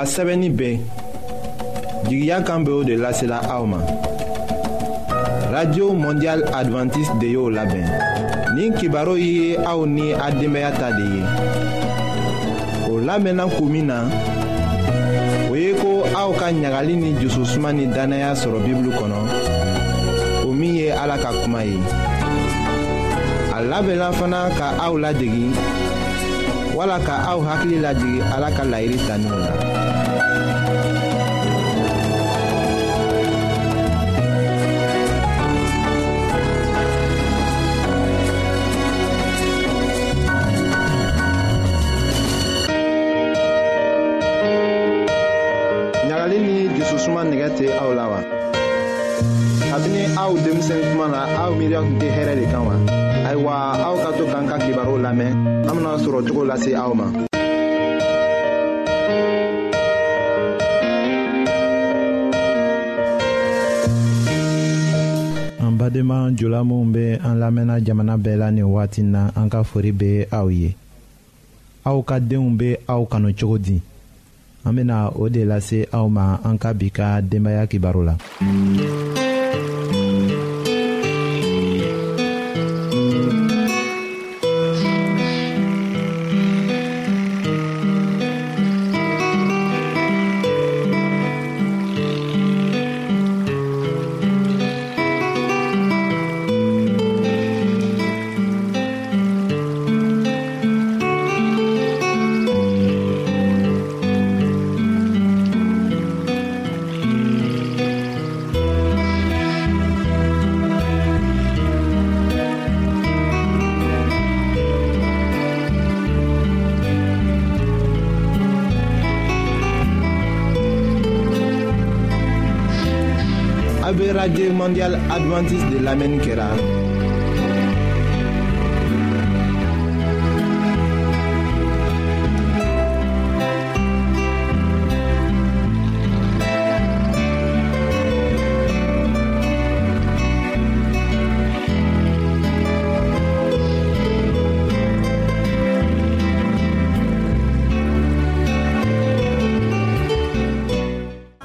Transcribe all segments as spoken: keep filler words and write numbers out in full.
A sɛbɛnni bɛ jigiya kan bɛ o de lasela aw ma. Radio Mondiale Adventiste de y'o labɛn. Nin kibaru ye aw ni a denbaya ta de ye. O lamɛnna kun min na, o ye ko aw ka ɲagali ni jususuma ni dannaya sɔrɔ Bibulu kɔnɔ, o min ye Ala ka kuma ye. A labɛnna fana ka aw ladegi wala ka aw hakili lajigin Ala ka layiru taninw la. Ɲagali ni jususuma nɛgɛ tɛ aw la wa? Kabini aw denmisɛn tuma na aw miiriya tun tɛ hɛrɛ de kan wa? Ayiwa aw ka to k'an ka kibaru lamɛn, an bɛna sɔrɔ cogo lase aw ma. An badenma jula minw bɛ an lamɛnna jamana bɛɛ la nin waati na, an ka fori bɛ aw ye. Aw ka denw bɛ aw kanu cogo di? An bɛna o de lase aw ma an ka bi ka denbaya kibaru la. Radio Mondiale Adventiste de lamɛnni kɛra.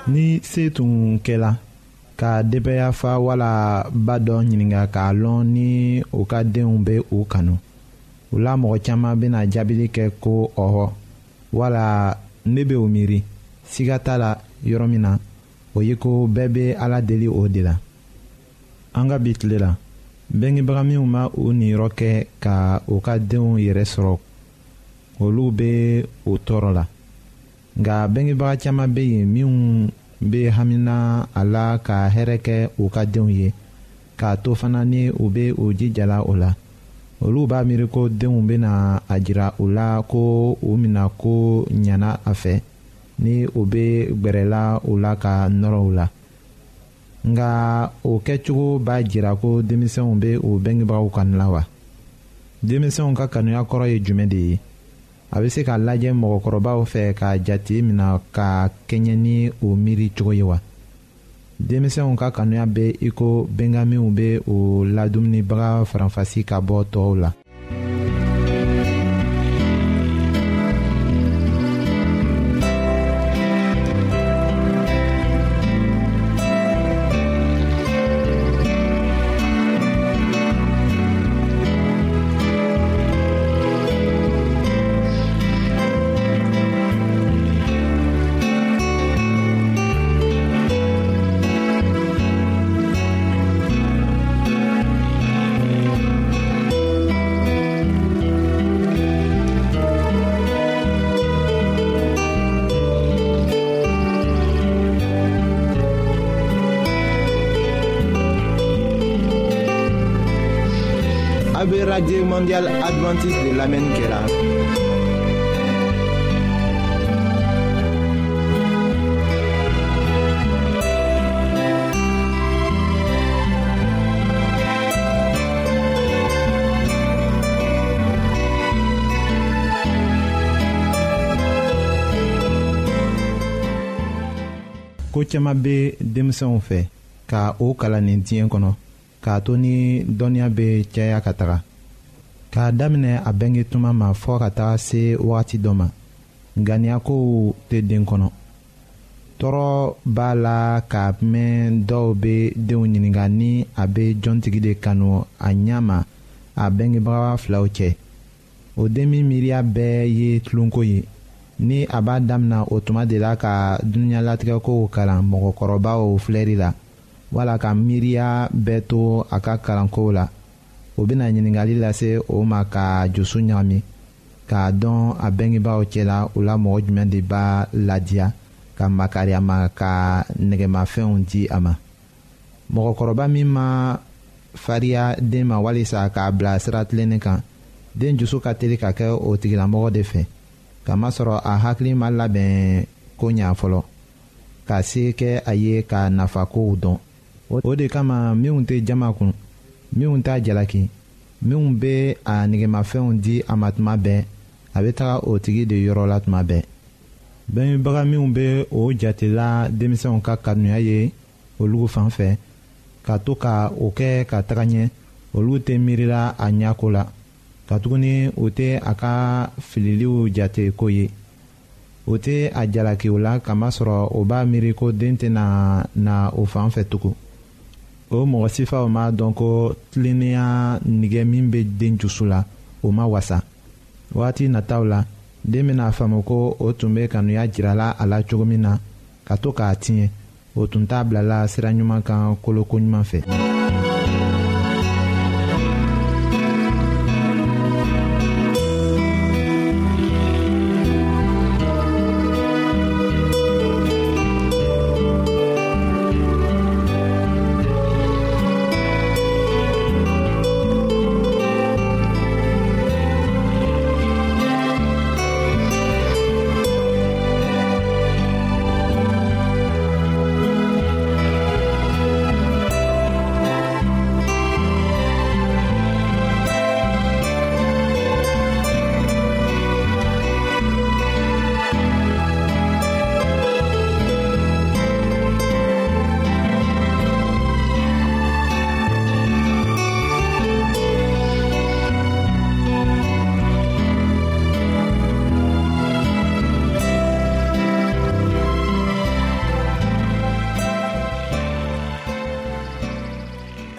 Ni se tun kɛla ka denbaya fa wala ba dɔ ɲininka k'a lɔn ni u ka denw bɛ u kanu, u la mɔgɔ caman bɛna jaabili kɛ ko ɔhɔ wala ne bɛ o miiri. Siga t'a la yɔrɔ min na, o ye ko bɛɛ bɛ Ala deli o de la. An ka bi tile la, bɛngebaga minw ma u niyɔrɔ kɛ ka u ka denw yɛrɛ sɔrɔ, olu bɛ o tɔɔrɔ la. Nka bɛngebaga caman bɛ yen minnu bɛ hamina a la ka hɛrɛ kɛ u ka denw ye, k'a to fana ni u bɛ u jijala o la. Olu b'a miiri ko denw bɛna a jira u la ko u mina ko ɲana a fɛ ni u bɛ gbɛrɛla u la ka nɔrɔ u la. Nka o kɛcogo b'a jira ko denmisɛnw bɛ u bɛngebagaw kanu la wa? Denmisɛnw ka kanuya kɔrɔ ye jumɛn de ye? A bɛ se k'a lajɛ mɔgɔkɔrɔbaw fɛ k'a jate mina ka kɛɲɛ ni o miiri cogo ye wa? Denmisɛnw ka kanuya bɛ i ko bɛnkanminw bɛ o ladumunibaga faranfasi ka bɔ tɔw la. Radio Mondiale Adventiste de lamɛnni kɛra. Ko caman bɛ denmisɛnw fɛ ka o kalan nin diɲɛ kɔnɔ, k'a to ni dɔnniya bɛ caya ka taga. K'a daminɛ a bɛnge tuma ma fɔ ka taga se wagati dɔ ma, ŋaniya kow tɛ den kɔnɔ. Tɔɔrɔ b'a la ka mɛn dɔw bɛ denw ɲininka ni a bɛ jɔntigi de kanu a ɲɛ ma a bɛngebaga filaw cɛ. O den min miiriya bɛɛ ye tulonko ye. Ni a b'a damina o tuma de la ka dunuɲalatigɛkow kalan mɔgɔkɔrɔbaw filɛri la, wala ka miiriya bɛɛ to a ka kalankow la, o bɛna ɲininkali lase o ma ka dusu ɲagami, k'a dɔn a bɛngebaaw cɛla u la mɔgɔ jumɛn de b'a ladiya ka makari a ma ka nɛgɛmafɛnw di a ma. Mɔgɔkɔrɔba min ma fariya den ma walisa k'a bila sira tilennen kan, den dusu ka teli ka kɛ o tigilamɔgɔ de fɛ, kamasɔrɔ a hakili ma labɛn ko ɲa fɔlɔ, ka se kɛ a ye ka nafakow dɔn. O de kama minnu tɛ jama kun, minnu t'a jalaki, minnu bɛ a nɛgɛmafɛnw di a ma tuma bɛɛ, a bɛ taga o tigi de yɔrɔ la tuma bɛɛ. Bɛnbaga minnu bɛ o jatela denmisɛnw ka kanuya ye olu fan fɛ, ka to ka o kɛ ka taga ɲɛ, olu tɛ miirila a ɲɛko la, katuguni u tɛ a ka fililiw jate ko ye. O tɛ a jalaki o la kamasɔrɔ o b'a miiri ko den tɛna na o fan fɛ tugun. O mɔgɔ sifaw m'a dɔn ko tilennenya nige min bɛ den dusu la, o ma wasa. Waati nataw la, den bɛna faamu ko o tun bɛ kanuya jirala a la cogo min na, ka to k'a tiɲɛ, o tun t'a bilala sira ɲuman kan koloko ɲuman fɛ.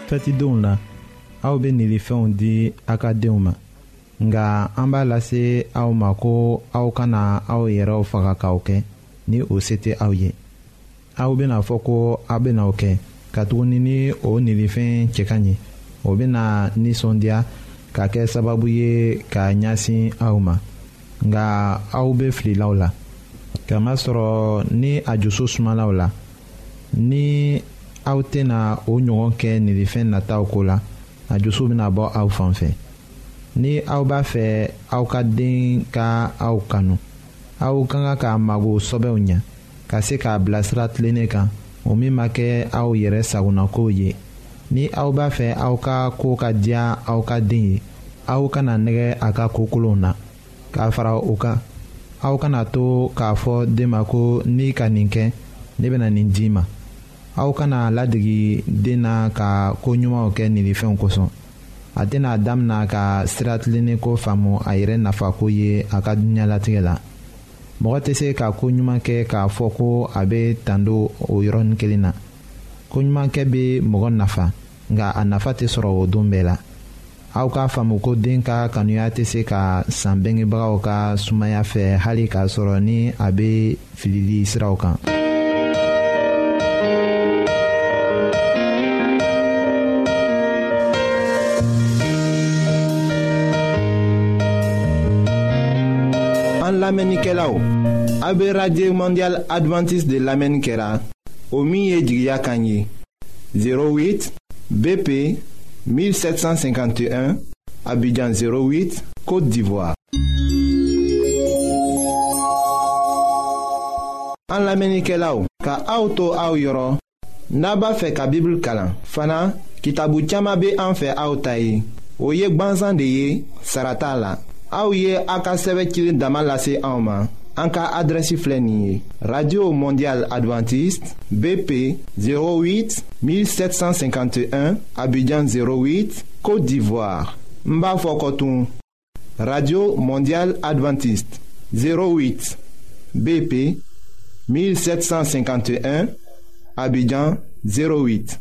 Fɛtidenw la, aw bɛ nilifɛnw di aw ka denw ma, nka an b'a lase aw ma ko aw kana aw yɛrɛw faga k'aw kɛ ni o se tɛ aw ye. Aw bɛna fɔ ko aw bɛna o kɛ, katuguni ni o nilifɛn cɛ ka ɲi, o bɛna nisɔndiya ka kɛ sababu ye ka ɲɛsin aw ma, nka aw bɛ fililaw la, kamasɔrɔ ni a dusu sumalaw la, ni aw tɛna o ɲɔgɔn kɛ nilifɛn nataw ko la, a dusu bɛna bɔ aw fan fɛ. Ni aw b'a fɛ aw ka den ka aw kanu, aw ka kan k'a mago sɔbɛw ɲɛ, ka se k'a bilasira tilennen kan, o min ma kɛ aw yɛrɛ sagonako ye. Ni aw b'a fɛ aw ka ko ka diya aw ka den ye, aw kana nɛgɛ a ka ko kolonw na. K'a fara o kan, aw kana to k'a fɔ den ma ko n'i ka nin kɛ, ne bɛna nin d'i ma. Aw kana ladegi den na ka ko ɲumanw kɛ nilifɛnw kosɔn. A tɛna damina ka sira tilennen ko faamu a yɛrɛ nafako ye a ka dunuɲalatigɛ la. Mɔgɔ tɛ se ka ko ɲuman kɛ k'a fɔ ko a bɛ tando o yɔrɔnin kelen na. Ko ɲuman kɛ bɛ mɔgɔ nafa, nka a nafa tɛ sɔrɔ o don bɛɛ la. Aw k'a faamu ko den ka kanuya tɛ se ka san bɛngebagaw ka sumaya fɛ hali k'a sɔrɔ ni a bɛ filili siraw kan. An lamɛnnikɛlaw, aw bɛ Radio Mondiale Adventiste de lamɛnni kɛra, o min ye jigiya kan ye. zéro huit B P mille sept cent cinquante et un Abidjan zéro huit Côte d'Ivoire. An lamɛnnikɛlaw, ka aw to aw yɔrɔ, n'a b'a fɛ ka Bible kalan fana, kitabu caman bɛ an fɛ aw ta ye. O ye gbansan de ye, sara t'a la. Aw ye a ka sɛbɛn cilen dama lase anw ma. An ka adrɛsi filɛ nin ye: Radio Mondiale Adventiste B P zéro huit mille sept cent cinquante et un Abidjan zéro huit Côte d'Ivoire. N b'a fɔ kɔtun: Radio Mondiale Adventiste zéro huit B P mille sept cent cinquante et un, Abidjan zéro huit.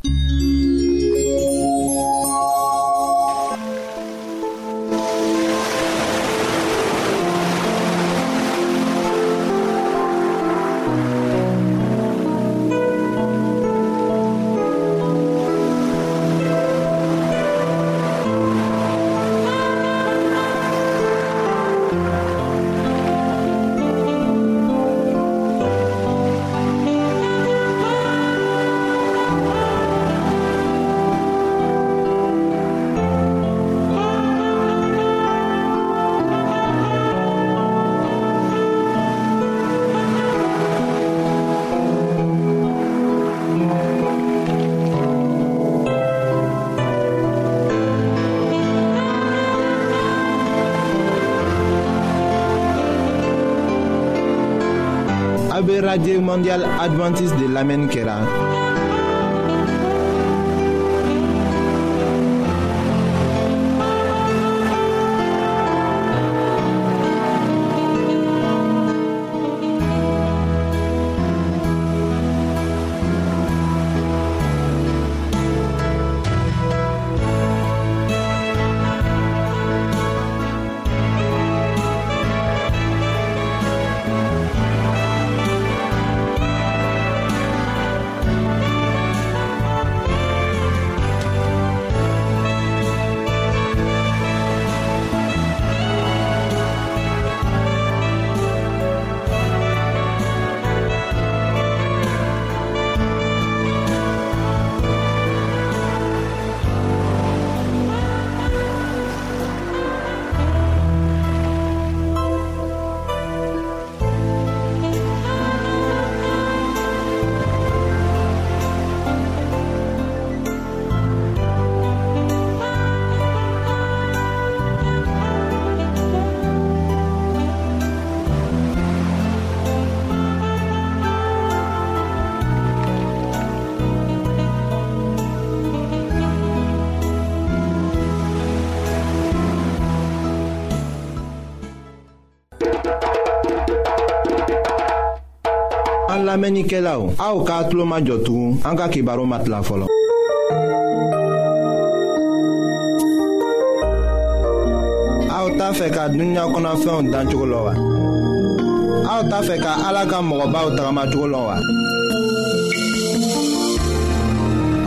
Radio Mondiale Adventiste de lamɛnni kɛra. Lamɛnnikɛlaw, aw k'a tulo majɔ tugun an ka kibaru ma tila fɔlɔ. Aw t'a fɛ ka dunuya kɔnɔfɛnw dancogo lɔn wa? Aw t'a fɛ ka Ala ka mɔgɔbaw tagamacogo lɔn wa?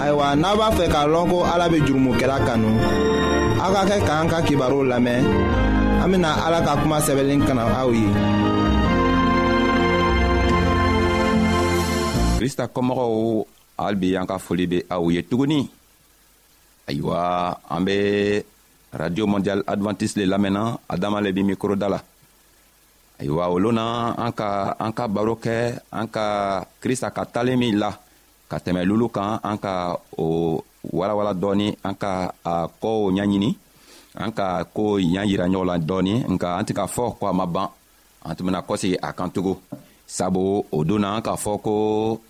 Ayiwa, n'a b'a fɛ k'a lɔn ko Ala bɛ jurumukɛla kanu, aw ka kɛ k'an ka kibaru lamɛn. An bɛna Ala ka kuma sɛbɛnlen kalan aw ye. Krista kɔmɔgɔw, hali bi an ka foli bɛ aw ye tuguni. Ayiwa, an bɛ Radio Mondiale Adventiste le lamɛnna, Adama le bi mikoro da la. Ayiwa, olu na an ka an ka baro kɛ an ka Krista ka talen min la ka tɛmɛ lulu kan, an ka o walawala dɔɔni, an ka a kow ɲɛɲini, an ka ko ɲɛ yira ɲɔgɔn la dɔɔni, nka an tɛ k'a fɔ ko a ma ban, an tun bɛna kɔsegin a kan tugun. Sabu o don na an k'a fɔ ko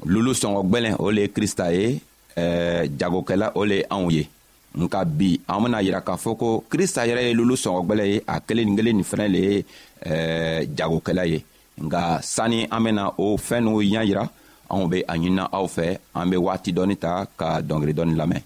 lulu sɔngɔ gwɛlɛn o le ye Krista ye, ɛɛ jagokɛla o le ye anw ye. Nka bi an bɛna yira k'a fɔ ko Krista yɛrɛ ye lulu sɔngɔ gwɛlɛn ye, a kelen kelen nin fɛnɛ le ye ɛɛ jagokɛla ye. Nka sani an bɛna o fɛn n'o ɲɛ yira, anw bɛ a ɲinina aw fɛ, an bɛ waati dɔɔni ta ka dɔnkili dɔɔni lamɛn.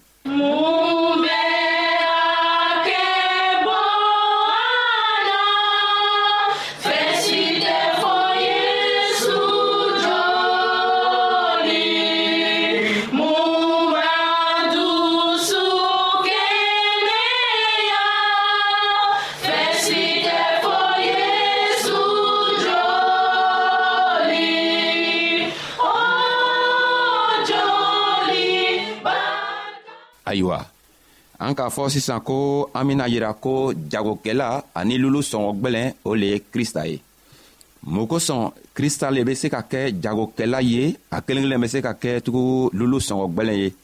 Ayiwa, an k'a fɔ sisan ko an bɛna yira ko jagokɛla ani lulu sɔngɔ gwɛlɛn o le ye Krista ye. Mun kosɔn Krista le bɛ se ka kɛ jagokɛla ye, a kelen kelen bɛ se ka kɛ tugun lulu sɔngɔ gwɛlɛn ye,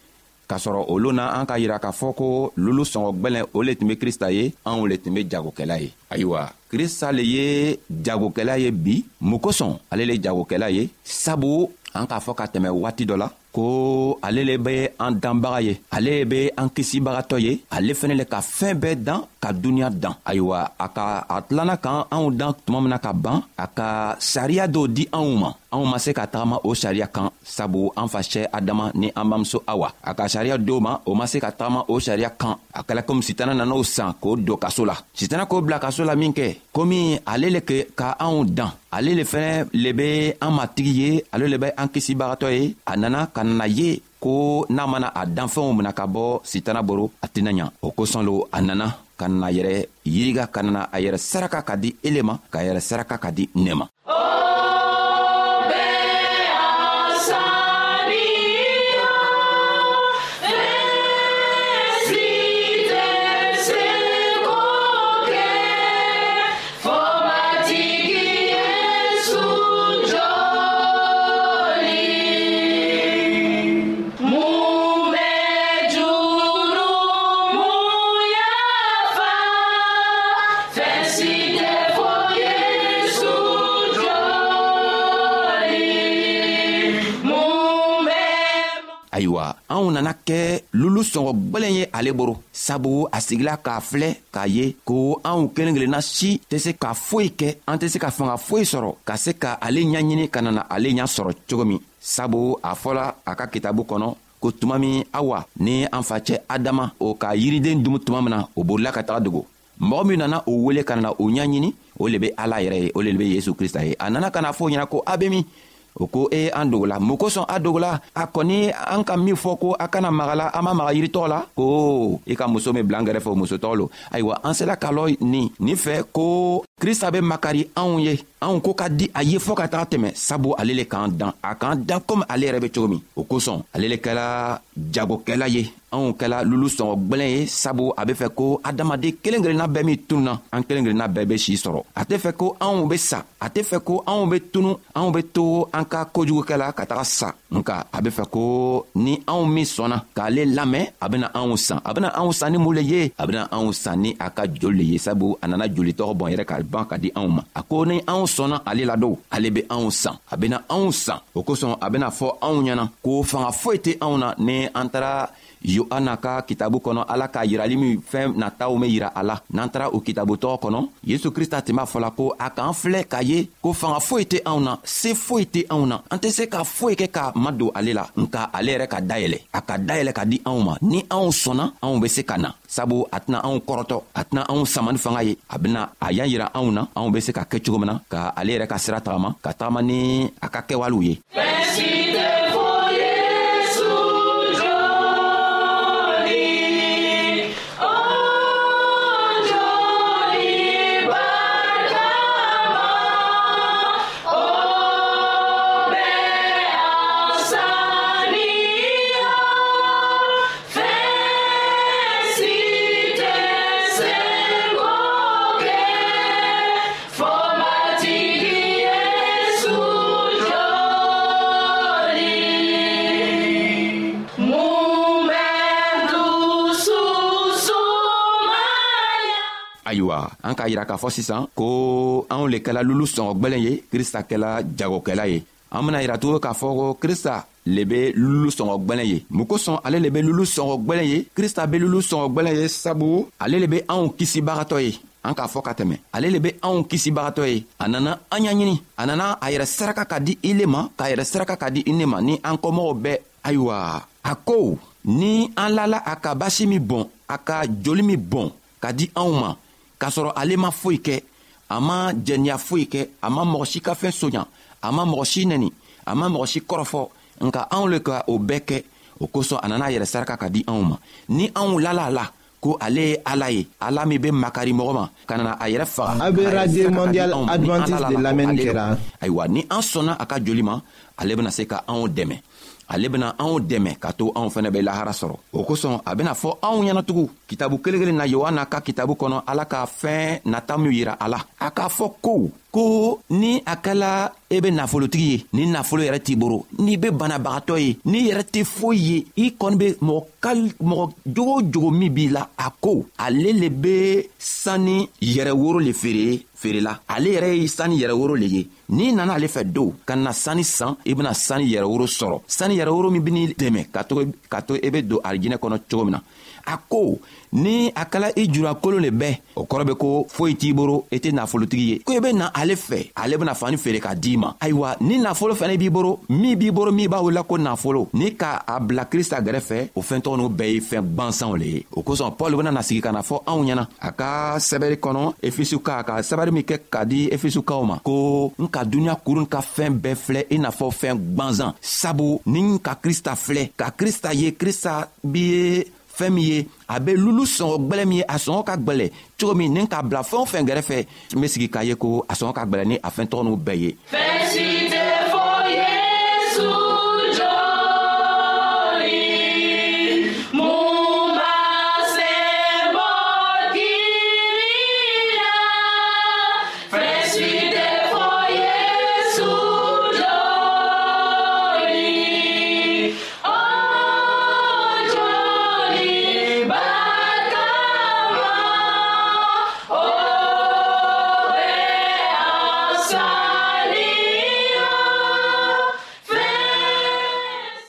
k'a sɔrɔ olu na an ka yira k'a fɔ ko lulu sɔngɔ gwɛlɛn o le tun bɛ Krista ye, anw le tun bɛ jagokɛla ye. Ayiwa, Krista le ye jagokɛla ye bi. Mun kosɔn ale le jagokɛla ye? Sabu an k'a fɔ ka tɛmɛ waati dɔ la ko ale le be an danbaga ye, ale be an kisibagatɔ ye, ale fɛnɛ le ka fɛn bɛɛ dan ka duniɲa dan. Ayiwa, a ka a tilana kan anw dan tuma min na ka ban, a ka sariya dɔw di anw ma. Anw ma se ka tagama o sariya kan, sabu an facɛ Adama ni an bamuso Awa, a ka sariya dɔw ma, o ma se ka tagama o sariya kan. A kɛla komi Sitana nana o san k'o don kaso la. Sitana k'o bila kaso la min kɛ, komi ale le ke ka anw dan, ale le fɛnɛ le be an matigi ye, ale le be an kisibagatɔ ye. A nana ka na ye ko n'a mana a danfɛnw mina ka bɔ Sitana boro, a tɛna ɲa. O kosɔn lo a nana ka na yɛrɛ yiriga, ka na a yɛrɛ saraka ka di ele ma, ka yɛrɛ saraka ka di ne ma. Ayiwa, anw nana kɛ lulu sɔngɔ gwɛlɛn ye ale boro, sabu a sigila k'a filɛ k'a ye ko anw kelen kelenna si tɛ se ka foyi kɛ, an tɛ se ka fanga foyi sɔrɔ ka se ka ale ɲaɲini ka nana ale ɲa sɔrɔ cogo min. Sabu a fɔla a ka kitabu kɔnɔ ko tuma min Awa ni an facɛ Adama o ka yiriden dumu tuma min na, o bolila ka taga dogo. Mɔgɔ min nana o wele ka nana o ɲaɲini, o le be Ala yɛrɛ ye, o le be Yesu Krista ye. A nana ka na fɔ o ɲɛna ko a be min? O ko e an dogola. Mun kosɔn a dogola? A kɔni an ka min fɔ ko a kana maga la, an ma maga yiri tɔgɔ la, ko i ka muso min bila an kɛrɛfɛ, o muso tɔgɔ lo. Ayiwa, an sera k'a lɔ nin nin fɛ ko Krista be makari anw ye, anw ko ka di a ye fɔɔ ka taga tɛmɛ, sabu ale le k'an dan, a k'an dan komi ale yɛrɛ be cogo min. O kosɔn ale le kɛla jagokɛla ye, anw kɛla lulu sɔngɔ gwɛlɛn ye, sabu a be fɛ ko adamaden kelen kelenna bɛɛ min tununa, an kelen kelenna bɛɛ be si sɔrɔ. A tɛ fɛ ko anw be sa, a tɛ fɛ ko anw be tunu, anw be to an ka kojugukɛ la ka taga sa. Nka a be fɛ ko ni anw min sɔnna k'ale lamɛn, a bena anw san. A bena anw san ni mun le ye? A bena anw san ni a ka joli le ye, sabu a nana joli tɔgɔ bɔn yɛrɛ ka ban ka di anw ma. A ko ni anw sɔnna ale la don, ale be anw san, a bena anw san. O kosɔn a bena fɔ anw ɲɛna ko fanga foyi tɛ anw na ni an taara Yohana ka kitabu kɔnɔ, Ala ka yirali min fɛn nataw min yira a la. N'an taara o kitabu tɔgɔ kɔnɔ, Yesu Krista tun b'a fɔla ko a k'an filɛ k'a ye ko fanga foyi tɛ anw na, se foyi tɛ anw na, an tɛ se ka foyi kɛ ka madon ale la, nka ale yɛrɛ ka dayɛlɛ, a ka dayɛlɛ ka di anw ma. Ni anw sɔnna, anw bɛ se ka na, sabu a tɛna anw kɔrɔtɔ, a tɛna anw sama ni fanga ye, a bɛna a y'an yira anw na anw bɛ se ka kɛ cogo min na ka ale yɛrɛ ka sira tagama, ka tagama ni a ka kɛwalew ye. Ayiwa, an k'a yira k'a fɔ sisan ko anw le kɛla lulu sɔngɔ gwɛlɛn ye, Krista kɛla jagokɛla ye. An bena yira tugun k'a fɔ ko Krista le be lulu sɔngɔ gwɛlɛn ye. Mun kosɔn ale le be lulu sɔngɔ gwɛlɛn ye? Krista be lulu sɔngɔ gwɛlɛn ye sabu ale le be anw kisibagatɔ ye. An k'a fɔ ka tɛmɛ, ale le be anw kisibagatɔ ye. A nana an ɲaɲini, a nana a yɛrɛ saraka ka di ile ma, k'a yɛrɛ saraka ka di i ne ma ni an kɔmɔgɔw bɛɛ. Ayiwa, a ko ni an lala a ka basi min bɔn, a ka joli min bɔn ka di anw ma, k'a sɔrɔ ale ma foyi kɛ, a ma jɛniya foyi kɛ, a ma mɔgɔ si ka fɛn soɲa, a ma mɔgɔ si nɛni, a ma mɔgɔ si kɔrɔfɔ, nka anw le ka o bɛɛ kɛ. O kosɔn a nana a yɛrɛ saraka ka di anw ma. Ni anw lala a la ko ale ye Ala ye, Ala min be makari mɔgɔ ma ka nana a yɛrɛ faga. A be Radio Mondiale Adventiste de lamɛnni kɛra. Ayiwa, ni an sɔnna a ka joli ma, ale bena se ka anw dɛmɛ, ale bena anw dɛmɛ ka to anw fɛnɛ bɛ lahara sɔrɔ. O kosɔn a bena fɔ anw ɲɛna tugun kitabu kelen kelen na, Yohana ka kitabu kɔnɔ, Ala ka fɛn nata min yira a la, a k'a fɔ ko Ko ni a kɛla e be nafolotigi ye, ni nafolo yɛrɛ t'i boro, n'i be banabagatɔ ye, n'i yɛrɛ tɛ foyi ye, i kɔni be mɔgɔ kal mɔgɔ jogo o jogo min b'i la, a ko ale le be sani yɛrɛ woro le feere feerela. Ale yɛrɛ ye sani yɛrɛ woro le ye. N'i nana ale fɛ don ka na sani san, i bɛna sani yɛrɛ woro sɔrɔ, sani yɛrɛ woro min bɛn'i dɛmɛ ka to ka to e bɛ don arijinɛ kɔnɔ cogo min na. A ko ni a kɛla i jurakolon le bɛ, o kɔrɔ bɛ ko foyi t'i boro, i tɛ nafolotigi ye, ko i bɛ na ale fɛ, ale bɛna fani feere k'a d'i ma. Ayiwa, ni nafolo fɛnɛ b'i boro, min b'i boro min b'a wele ko nafolo, ni ka a bila Krista gɛrɛfɛ, o fɛn tɔgɔ n'o bɛɛ ye fɛn gwansanw le ye. O kosɔn Paul bɛna na sigi ka na fɔ anw ɲɛna a ka sɛbɛri kɔnɔ Efesuka, a ka sɛbɛri min kɛ k'a di Efesukaw ma, ko n ka duniɲa kurun ka fɛn bɛɛ filɛ i n'a fɔ fɛn gwansan, sabu ni n ka Krista filɛ, ka Krista ye, Krista bi ye fɛn min ye, a bɛ lulu sɔngɔ gwɛlɛ min ye, a sɔngɔ ka gwɛlɛ cogo min, ni k'a bila fɛn o fɛn gɛrɛfɛ, n bɛ sigi k'a ye ko a sɔngɔ ka gwɛlɛ ni a fɛn tɔgɔ n'u bɛɛ ye. Fɛn si tɛ fɔ Yesu joli, mun b'a se bɔ kiri la. Fɛn si tɛ fɔ Yesu joli, o joli barikama, o bɛ an saniya. Fɛn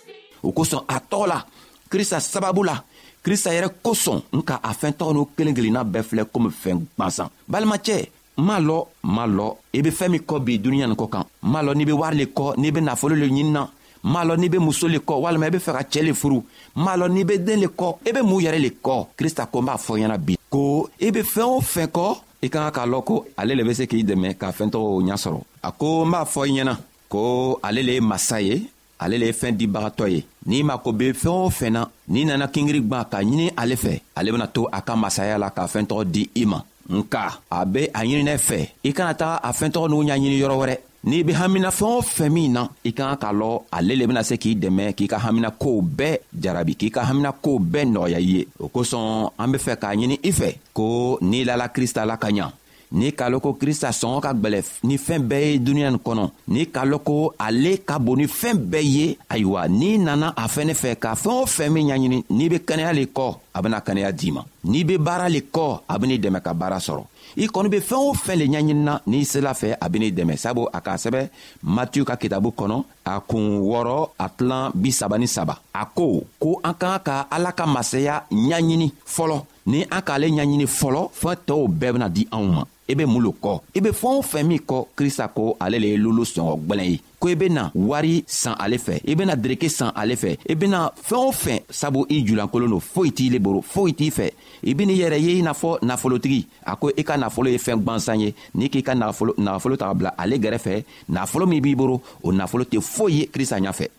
si. O kosɔn a tɔgɔ la, Krista sababu la, Krista yɛrɛ kosɔn, n ka a fɛn tɔgɔ n'o kelen kelenna bɛɛ filɛ komi fɛn gwansan. Balimacɛ, m'a lɔ m'a lɔ i be fɛn min kɔ bi duniɲa nin kɔ kan, m'a lɔ n'i be wari le kɔ, n'i be nafolo le ɲinina, m'a lɔ n'i be muso le kɔ, walima i be fɛ ka cɛɛ le furu, m'a lɔ n'i be den le kɔ, i be mun yɛrɛ le kɔ. Krista ko n b'a fɔ ɲɛna bi ko i be fɛn o fɛn kɔ, i ka kan k'a lɔn ko ale le be se k'i dɛmɛ ka fɛn tɔgɔw ɲɛ sɔrɔ. A ko n b'a fɔ i ɲɛna ko ale le ye masa ye, ale le ye fɛn dibagatɔ ye. N'i mako be fɛn o fɛn na, n'i nana kingiri gwan ka ɲini ale fɛ, ale bena to a ka masaya la ka fɛn tɔgɔ di i ma. Nka a be a ɲininɛ fɛ, i kana taga a fɛn tɔgɔ n'u ɲaɲini yɔrɔ wɛrɛ. N'i be hamina fɛn o fɛn min na, i ka kan k'a lɔn ale le bena se k'i dɛmɛ k'i ka hamina kow bɛɛ jarabi, k'i ka hamina kow bɛɛ nɔgɔya i ye. O kosɔn an be fɛ k'a ɲini i fɛ ko n'i lala Krista la ka ɲa, n'i k'a lɔn ko Krista sɔngɔ ka gwɛlɛ ni fɛn bɛɛ ye duniɲa nin kɔnɔ, n'i k'a lɔn ko ale ka bon ni fɛn bɛɛ ye, ayiwa n'i nana a fɛnɛ fɛ ka fɛn o fɛn min ɲaɲini, n'i be kɛnɛya le kɔ, a bena kɛnɛya d'i ma. N'i be baara le kɔ, a ben'i dɛmɛ ka baara sɔrɔ. I kɔni be fɛn o fɛn le ɲaɲinina, n'i sela fɛ, a ben'i dɛmɛ. Sabu a k'a sɛbɛ Matiyu ka kitabu kɔnɔ, a kun wɔɔrɔ a tilan bi saba ni saba, a ko ko an ka kan ka Ala ka masaya ɲaɲini fɔlɔ. Ni an k'ale ɲaɲini fɔlɔ, fɛn tɔw bɛɛ bena di anw ma. I be mun lo kɔ? I be fɛn o fɛn min kɔ, Krista ko ale le ye lulu sɔngɔ gwɛlɛn ye, ko i bena wari san ale fɛ, i bena dereke san ale fɛ, i bena fɛn o fɛn, sabu i julankolon don, foyi t'i le boro, foyi t'i fɛ. I ben'i yɛrɛ ye i n'a fɔ nafolotigi. A ko i ka nafolo ye fɛn gwansan ye. N'i k'i ka nafolo nafolo ta ka bila ale gɛrɛfɛ, nafolo min b'i boro, o nafolo tɛ foyi ye Krista ɲafɛ.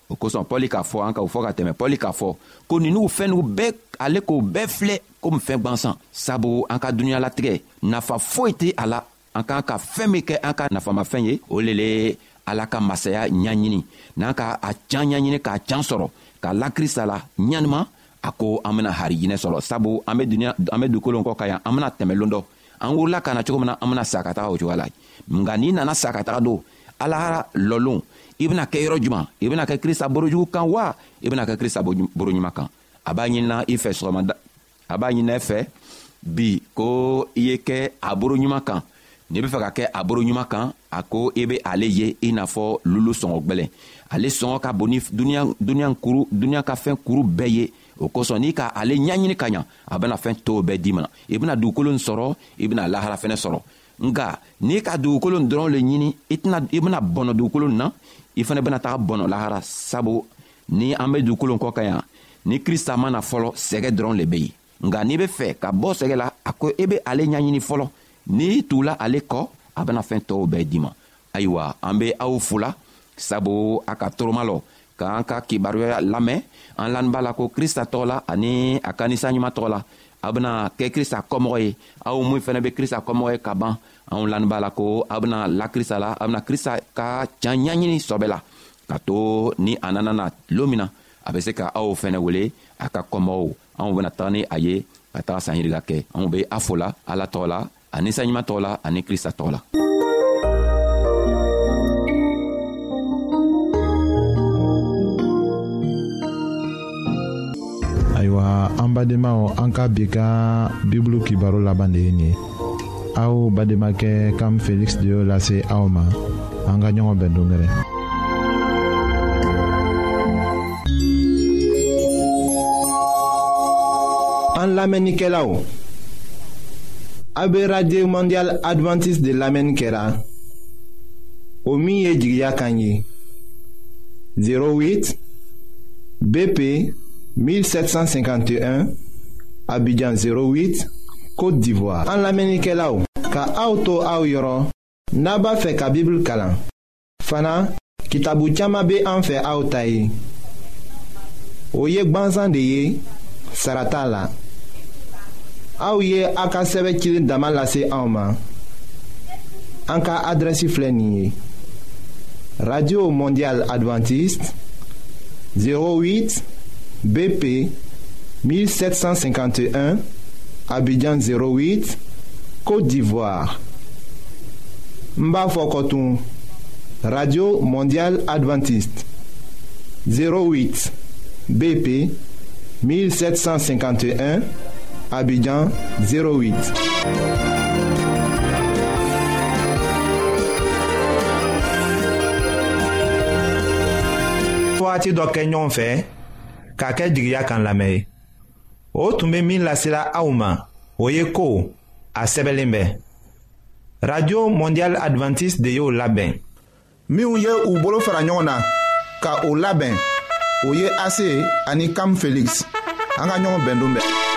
O kosɔn Pɔli k'a fɔ, an ka o fɔ ka tɛmɛ, Pɔli k'a fɔ ko ninnu fɛn bɛɛ, ale k'o bɛɛ filɛ komi fɛn gwansan, sabu an ka dunuɲalatigɛ nafa foyi tɛ a la. An k'an ka fɛn min kɛ an ka nafamafɛn ye, o le le Ala ka masaya ɲaɲini. N'an ka a can ɲaɲini k'a can sɔrɔ k'a la Krista la ɲanima, a ko an bena harijinɛ sɔrɔ. Sabu an be duniɲa, an be dugukolo kɔ kan yan, an bena tɛmɛ lon dɔ, an wurula ka na cogo min na, an bena sa ka taga o cogoya la. Nka n'i nana sa ka taga don Ala lɔlon, i bena kɛ yɔrɔ juman? I bena kɛ Krista borojugu kan wa i bena kɛ Krista boro ɲuman kan? A b'a ɲinina i fɛ sɔgɔmada, a b'a ɲinina i fɛ bi ko i ye kɛ a boro ɲuman kan. N'i be fɛ ka kɛ a boro ɲuman kan, a ko i be ale ye i n'a fɔ lulu sɔngɔ gwɛlɛn. Ale sɔngɔ ka bon ni duniɲa duniɲa kuru duniɲa ka fɛn kuru bɛɛ ye. O kosɔn n'i ka ale ɲaɲini ka ɲa, a bena fɛn tɔw bɛɛ d'i ma. I bena dugukolo sɔrɔ, i bena lahara fɛnɛ sɔrɔ. Nka n'i ka dugukolo dɔrɔn le ɲini, i tɛna i bena bɔnɔ dugukolo na, i fɛnɛ bena taga bɔnɔ lahara. Sabu ni an be dugukolo kɔ kan yan, ni Krista ma na fɔlɔ, sɛgɛ dɔrɔn le be yen. Nka n'i be fɛ ka bɔ sɛgɛ la, a ko i be ale ɲaɲini fɔlɔ. N'i tugula ale kɔ, a bena fɛn tɔw bɛɛ d'i ma. Ayiwa, an be aw fola, sabu a ka toroma lɔ k'an ka kibaruya lamɛn. An lani b'a la ko Krista tɔgɔ la ani a ka nisa ɲuman tɔgɔ la, aw bena kɛ Krista kɔmɔgɔ ye. Aw mun fɛnɛ be Krista kɔmɔgɔ ye ka ban, anw lani b'a la ko aw bena la Krista la, aw bena Krista ka can ɲaɲini sɔbɛ la, ka to ni a nana na lon min na, a be se ka aw fɛnɛ wele a ka kɔmɔgɔw. Anw bena taga ni a ye ka taga sanyiriga kɛ. Anw be a fo la Ala tɔgɔ la, ani saɲuman tɔgɔ la, ani Krista tɔgɔ la. An badenmaw, an ka bi ka Bibulu kibaro laban de ye nin ye. Aw badenmakɛ Kam Felix de y'o lase aw ma. An ka ɲɔgɔn bɛn don wɛrɛ. An lamɛnnikɛlaw, a bɛ Radio Mondiale Adventiste de lamɛnni kɛra, o min ye jigiya kan ye. zéro huit B P mille sept cent cinquante et un, Abidjan zéro huit, Côte d'Ivoire. An lamɛnnikɛlaw, ka aw to aw yɔrɔ, n'a b'a fɛ ka Bibulu kalan fana, kitabu caman bɛ an fɛ aw ta ye, o ye gbansan de ye, sara t'a la. Aw ye a ka sɛbɛn cilen dama lase anw ma. An ka adrɛsi filɛ nin ye: Radio Mondiale Adventiste, zéro huit B P mille sept cent cinquante et un, Abidjan zéro huit, Côte d'Ivoire. N b'a fɔ kɔtun: Radio Mondiale Adventiste, zéro huit B P mille sept cent cinquante et un, Abidjan zéro huit. Wagati dɔ kɛ ɲɔgɔn fɛ k'a kɛ jigiya kan lamɛn ye, o tun bɛ min lasela aw ma, o ye ko a sɛbɛnlen bɛ Radio Mondiale Adventiste de y'o labɛn. Minnu ye u bolo fara ɲɔgɔn na ka o labɛn, o ye A C ani Kam Felix. An ka ɲɔgɔn bɛn don bɛɛ.